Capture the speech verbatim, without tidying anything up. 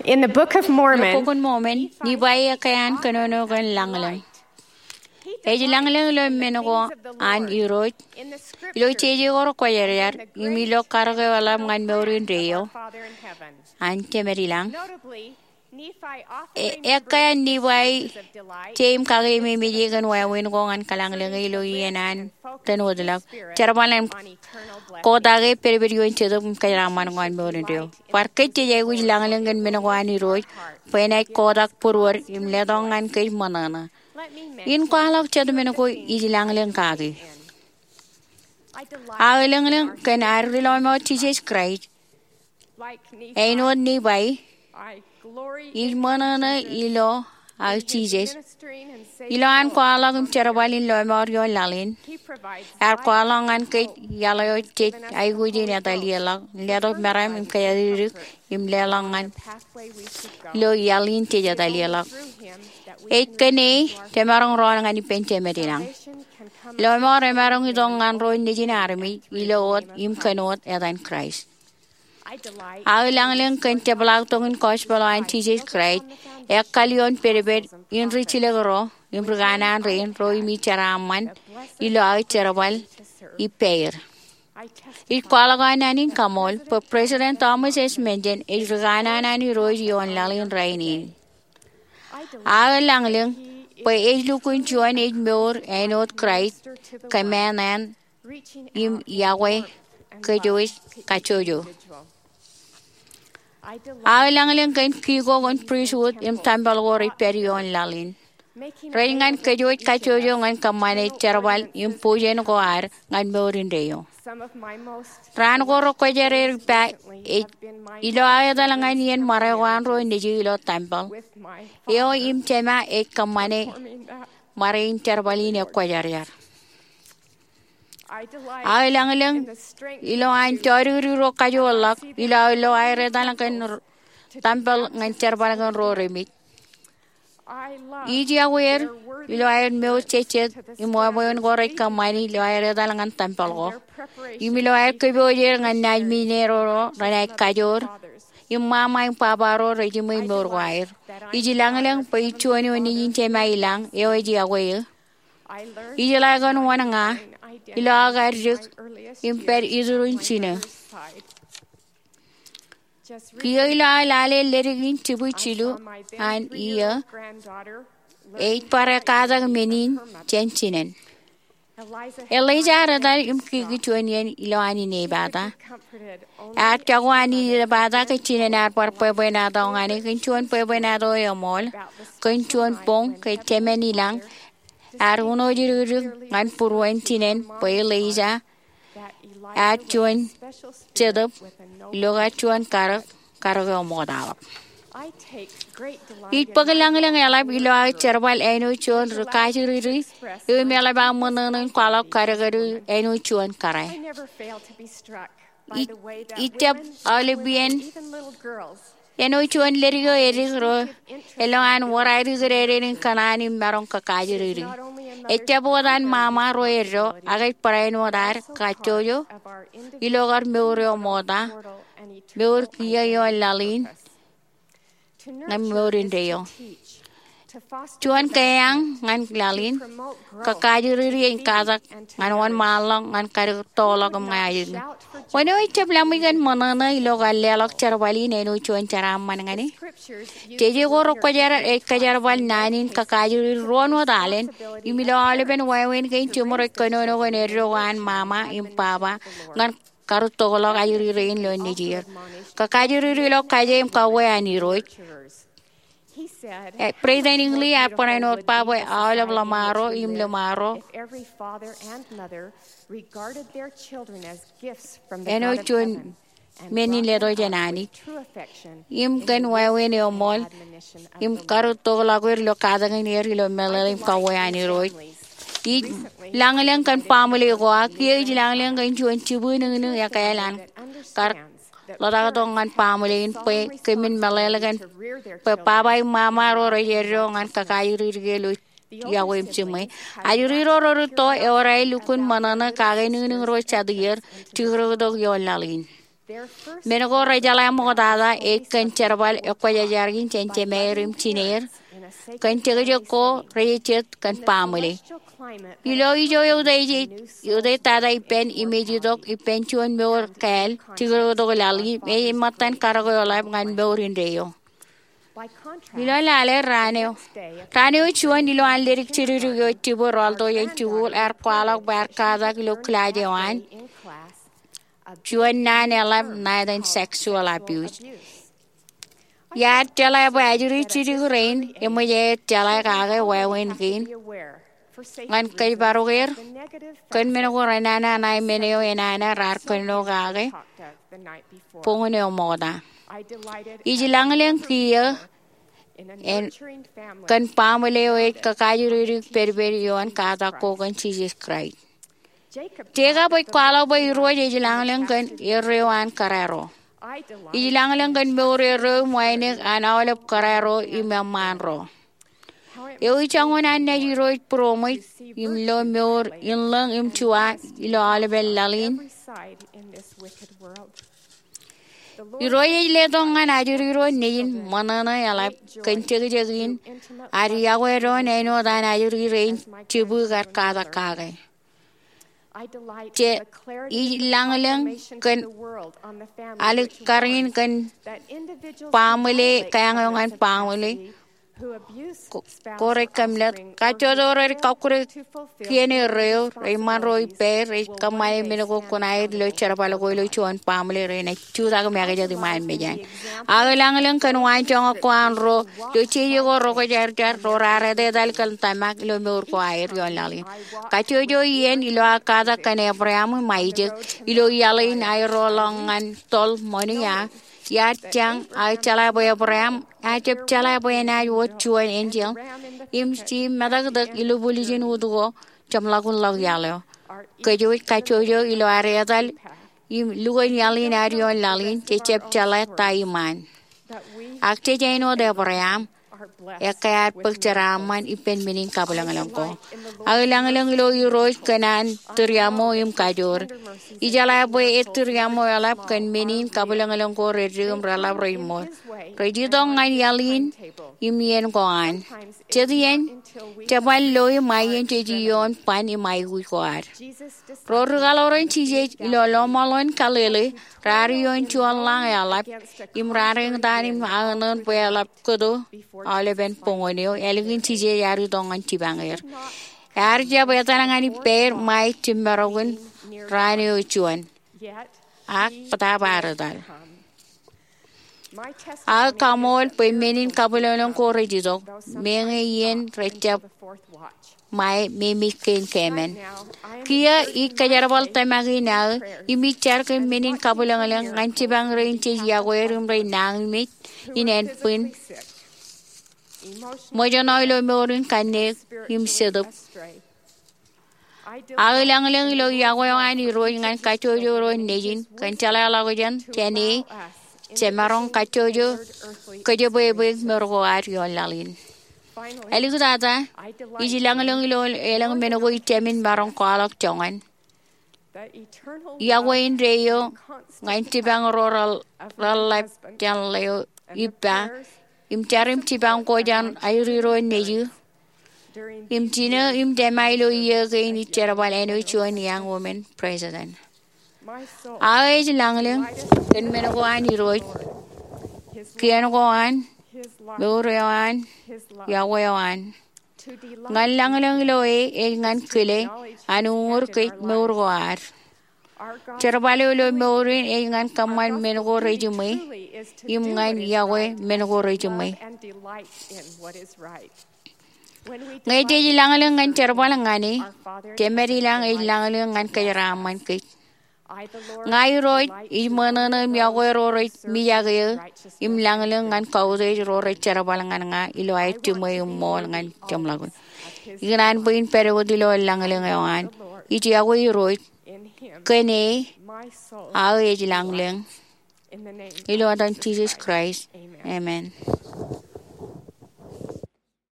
In the Book of Mormon, Bok in Mormon, Nifai ekkā an kōnono kōn lañlōñ. Ej lañlōñ ilo men ko an Irooj ilo jeje ko rekwōjarjar im ilo karōk eo eḷap ñan mour indeeo an Jemed ilañ. Ekkā an Nifai, jeim kakememej e kōn wāween ko ñan kōlañlōñ e ilo iien an tōn wōtlọk, jerbal im kotak e pedped ioon Jetōb im kōjeraaṃṃan ko an mour indeeo. Bar kōj jej aikuj lañlōñ kōn men ko an Irooj bwe enaaj kotak būruod im letok ñan kōj ṃōṇōṇō. In kwaḷọk jet men ko ij lañlōñ kaki. Aō lañlōñ kōn ad ri-lọmọọr Jisōs Kraist. Āinwōt Nifai, ij ṃōṇōṇō ilo aō Jisōs ilo an kwaḷọk im jerbal in lọmọọr ioon laḷ in. Ear kwaḷọk ñan kōj iaḷ eo jej aikuj in etalielọk, letok meram im kōjatdikdik im leḷọk ñan ilo iaḷ in jej etalielọk. Ej kōn e jemaroñ rọọl ñan ippān Jemed ilañ. Lọmọọr emaroñ itok ñan ro nejin armej ilo wōt im kōn wōt etan Kraist. Aō lañlōñ kōn jepḷaaktok in gospel eo an Jisōs Kraist ekkā ioon pedped in ri jilkinro im ri kanaan rein ro im ij jeraaṃṃan ilo aō jerbal ippāer. Ij kwaḷọk aō naan in kaṃool bwe President Thomas S. Monson ej ri kanaan an Irooj ioon laḷ in rainin. Aō lañlōñ bwe ej lukkuun juon ej mour āinwōt Kraist, kōmāān im yokwe kōjwōj kajjojo. Aō lañlōñ kōn kiko kōn pristut im tempel ko rej pād ioon laḷ in. Rej ñan kōjwōj kajjojo ñan kōṃṃane jerbal im bujen ko ad ñan mour indeeo. Raan ko rekwōjarjar ippa ej ilo aō etal ñan iien ṃare ko an ro nejū ilo tempel. Eo im jema ej kōṃṃane ṃare in jerbal in ekwōjarjar. Aō lañlōñ ilo an jodikdik ro kajoor ḷọk ilo aō lo aer etal kōn tempel ñan jerbal kōn ro remej. Ij yokwe er ilo aer mour jejjet im wāween ko rej kōṃṃani ilo aer etal ñan tempel ko im ilo aer kōpooj er ñan naaj men ro renaaj kajoor im ṃaṃa im baba ro rej jiṃwe mour ko aer. Ij lañlōñ bwe ij juon eo nejin jema ilañ eo ej yokwe eō. Ij jeḷā kōn wōn ña ilo aō kar dik im pād iturūṃ jino. Kiiō ilo aō lale ledik in jibwi jilu an iiō, ej bar ekkatak men in jān jinen. Elija ear etal im kiki juon iien ilowaan inepata. Ear jako an inepata ke jinen ear bar bwebwenato ñan e kōn juon bwebwenato eṃool kōn juon boñ ke jemān ilañ ear uno jidikdik ñan būruon jinen bwe Elija ear juon jetōb ilo kar juon karōk, karōk eo ṃoktaḷọk. Ij bōk lañlōñ eḷap ilo aō jerbal āinwōt juon ri kajjidikdik eo im eḷap aō ṃōṇōṇō in kwaḷọk kadkadkid āinwōt juon kōrā. Ij, ij jab aolep iien āinwōt juon ledik eo edik ro elōñ an wōr aer ikidede in kōṇaan im maroñ kakajjidikdik. Ejjab wōt an ṃaṃa ro eddo, ak ej barāinwōt ad kajjojo ilo kar mour eo ṃokta, mour kiiō ioon laḷ in ñan mour indeeo. Juon keeañ ñan laḷ in, kakajjidikdik im katak ñan wōnṃaanḷọk ñan karuktokḷọk im ña ajri. Wōn eo ejjab laṃōj kōn ṃōṇōṇō ilo kar leḷọk jerbal in āinwōt juon jeraaṃṃan ñan e? Jeje ko rekwōjarjar ej kōjerbal naan in kakajjidikdik ruon wōt alen im ilo aolepen wāween kein jiṃor ej kōnono kōn eddo ko an ṃaṃa im baba ñan karutokḷọk ajri rein ilo nejier. Kakajjidikdik ilo kaje im kauwe an Irooj. President Hinckley ear barāinwōt ba bwe aolep ḷōṃaro im ḷōṃaro āinwōt juon men in letok jān Anij im kōn wāween eṃool im karutokḷọk er ilo katakin er ilo meḷeḷe im kauwe an Irooj. Ij lañlōñ kōn baaṃle ko aō, kiiō ij lañlōñ kōn juon jibwinōñnōñ ekkāāl an kar ḷotaktok ñan baaṃle in bwe kōmin meḷeḷe kōn bwe baba im ṃaṃa ro rej eddo ñan kakajjidikdik e ilo yokwe im jiṃwe. Ajri ro rūtto ewōr aer lukkuun ṃōṇōṇō kake nūnūñ ro jatū er tikrōktok ioon laḷ in. Men ko rejeḷā ṃoktata ej kōn jerbal ekwōjarjar in jān jemāer im jināer kōn jekjek ko rejejjet kōn baaṃle. Ilo ijo eutiej, eutiej tata ippān im ej itok ippān juon mour kāāl jikūtōk laḷ im ej ṃōttan karōk eoḷap ñan mour indeeo. Ilo lale raan eo, raan eo juon ilo an ledik jidikdik eo ej jibwe rọọltok jān jikuuḷ ear kwaḷọk bwe ear katak ilo kilaaj eo an juon naan eḷap naaj an sexual abuse. Iar jeḷā bwe ajri jidik rein eṃōj aer jeḷā kake wāween kein ñan kōjparoker kōn men ko renana ṇae men eo enana raar kōnono kake boñōn eo ṃokta. Ij lañlōñ kiiō kōn baaṃle eo ej kakaajridik pedped ioon katak ko kōn Jisōs Kraist. Jekob ej kwaḷọk bwe Irooj ej lañlōñ kōn erreo an kōrā ro. Ij lañlōñ kōn mour erreo im wānōk an aolep kōrā ro im eṃṃaan ro. Ewi joñan an naaj Irooj būroṃōj im lo mour in lōñ im juwa ilo aolepen laḷ in? Irooj ej letok ñan ajri ro nejin ṃōṇōṇō eḷap kōn jekjek in ad yokwe doon āinwōt an ajri rein jibukar katak kake. Ij lañlōñ kōn alikkar in kōn baaṃle, kāāñ eo ñan baaṃle ko rej kōmlōt. Kajjojo rej kọkkure kien erreo, rej ṃan ro ippāer, rej kōṃṃane men ko kuṇaer ilo jerbal ko ilo juon baaṃle renaaj jutak make jet iṃaan mejaṃ. Ak ij lañlōñ kōn waanjoñak ko an ro ilo jeje ko rokwōjarjar ro raar etetal kōn tōmak ilo mour ko aer ioon laḷ in. Kajjojo iien ilo aō katak kōn Ebream im Aisak ilo iaḷ in aer roḷọk ñan toḷ ṃani, iar jañ aō jeḷā bwe Ebream ear jab jeḷā bwe enaaj wōt juon enjeḷ im jab metōktōk ilubwiljin ut ko jeṃḷọkinḷọk iaḷ eo. Kōj wōj kajjojo ilo ad etal im lukkuun iaḷ in ad ioon laḷ in, jej jab jeḷā ta iṃaan. Ak jej āinwōt Ebream, ekkā ad bōk jeraaṃṃan ippān men in kabwilōñlōñ ko. Ak ij lañlōñ ilo Irooj kōn an tūriaṃo im kajoor. Ijeḷā bwe ej tūriaṃo eḷap kōn men in kabwilōñlōñ ko redik im reḷap rej ṃool. Rej itok ñan iaḷ in im iien ko an. Jet iien, jeban lo im aien jej ioon ban im aikuj ko ad. Ro ri kaḷoran Jisōs ilo lọmọọr eo an Galili raar ioon juon lañ eḷap im raar eñtaan im aōṇōṇō bwe eḷap kōto aolepen boñōn eo ālikin Jisōs ear itok ñan jipañ er. Ear jab etal ñan ippāer ṃae jimmarok in raan eo juon. Ak bōtaab ear etal. Aō kaṃool bwe men in kabwilōñlōñ ko rej itok, meñe iien rej jab ṃae memej kein kāmen. Kiiō ij kōjerbal tōmak in aō im ij jar kōn men in kabwilōñlōñ ñan jipañ rein jej yokwe er im rej nañinmej in ānbwin ṃōjṇọ ilo mour in kanniōk im jetōb. Aō lañlōñ ilo yokwe eo an Irooj ñan kajjojo ro nejin kōn jeḷāḷọkjeṇ jān e jemaroñ kajjojo kōjepwepwe mour ko ad ioon laḷ in. Āliktata, ij lañlōñ ilo elōñ men ko ijin maroñ kwaḷọk joñan. Yokwe indeeo ñan jipañ ro reḷap jān ḷeo ippa im jar im jipañ ko jān ajri ro nejū im jinō im tōmak ilo iiō kein ij jerbal āinwōt juon young women president. Aō ej lañlōñ kōn men ko an Irooj, kien ko an, mour eo an, yokwe eo an. Ñan lañlōñ ilo e ej ñan kile an uñūr kōj mour ko ad. Jerbal eo ilo mour in ej ñan kōṃṃan men ko rejiṃwe im ñan yokwe men ko rejiṃwe. Ñe jej lañlōñ ñan jerbal ñan e, Jemād ilañ ej lañlōñ ñan kōjeraaṃṃan kōj. Ña Irooj ij ṃōṇōṇō im yokwe ro rej mijak eō im lañlōñ ñan kautiej ro rej jerbal ñan ña ilo aer jiṃwe im ṃool ñan jeṃḷọkin. Ikōṇaan bwe in pād wōt ilo lañlōñ eo an. Ij yokwe Irooj, kōn e aō ej lañlōñ. Ilo etan Jisōs Kraist, amen.